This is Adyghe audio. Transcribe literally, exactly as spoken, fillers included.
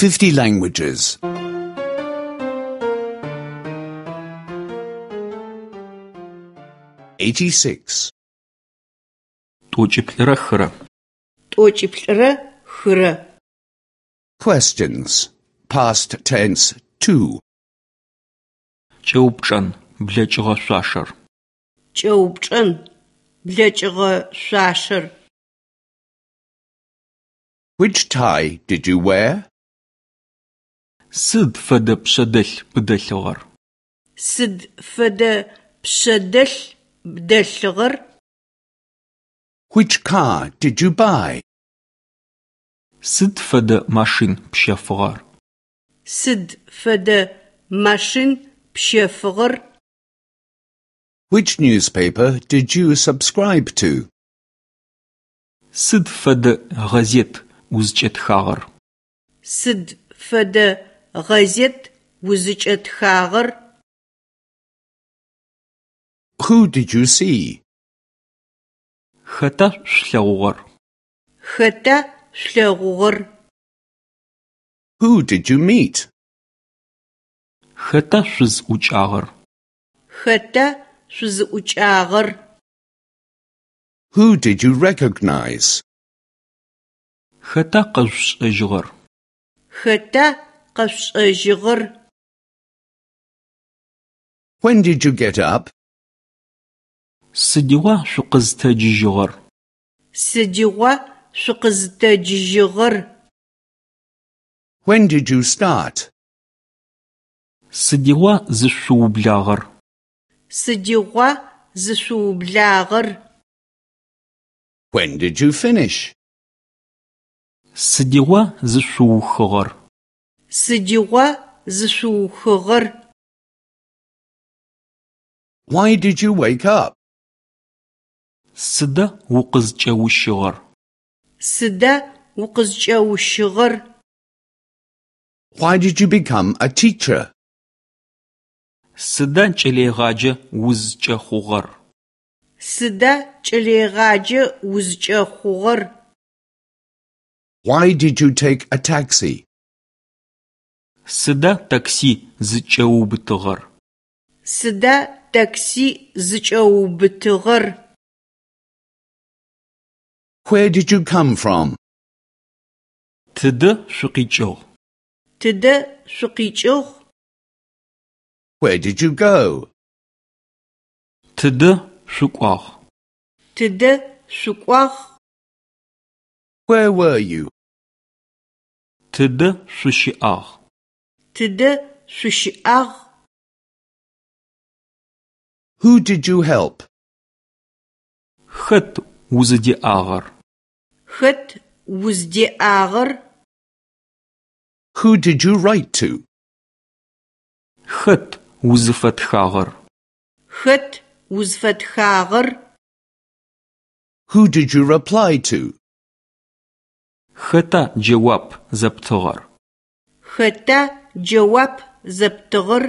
fifty languages. eighty-six. Тӏокӏиплӏырэ хырэ. Тӏокӏиплӏырэ хырэ. Questions. Past tense two. Кӏэупчӏэн, блэкӏыгъэ шъуашэр. Кӏэупчӏэн, блэкӏыгъэ шъуашэр. Which tie did you wear? Сыд фэдэ пшъэдэлъ бдэлъыгъэр? Сыд фэдэ пшъэдэлъ бдэлъыгъэр? Which car did you buy? Сыд фэдэ машин пщэфыгъэр? Сыд фэдэ машин пщэфыгъэр? Which newspaper did you subscribe to? Сыд фэдэ гъэзет узкӏэтхагъэр? Сыд фэдэ гъэзет узкӏэтхагъэр? Who did you see? Хэта шъулъэгъугъэр? Хэта шъулъэгъугъэр? Who did you meet? Хэта шъузӏукӏагъэр? Хэта шъузӏукӏагъэр? Who did you recognize? Хэта къэшъушӏэжьыгъэр? Хэта къэшъушӏэжьыгъэр? When did you get up? Сыдигъуа шъукъызтэджыжьыгъэр? Сыдигъуа шъукъызтэджыжьыгъэр? When did you start? Сыдигъуа зышъуублагъэр? Сыдигъуа зышъуублагъэр? When did you finish? Сыдигъуа зышъуухыгъэр? Сыдигъуа зышъуухыгъэр? Why did you wake up? Сыда укъызкӏэущыгъэр? Сыда укъызкӏэущыгъэр? Why did you become a teacher? Сыда кӏэлэегъаджэ узкӏэхъугъэр? Сыда кӏэлэегъаджэ узкӏэхъугъэр? Why did you take a taxi? Сыда такси зыкӏэуубытыгъэр? Сыда такси зыкӏэуубытыгъэр? Where did you come from? Тыдэ шъукъикӏыгъ? Тыдэ шъукъикӏыгъ? Where did you go? Тыдэ шъукӏуагъ? Тыдэ шъукӏуагъ? Where were you? Тыдэ шъущыӏагъ? Тыдэ шъущыӏагъ? Who did you help? Хэт узыдеӏагъэр? Хэт уздеӏагъэр? Who did you write to? Хэт узыфэтхагъэр? Хэт узфэтхагъэр? Who did you reply to? Хэта джэуап зэптыгъэр? Хэта джэуап зэптыгъэр?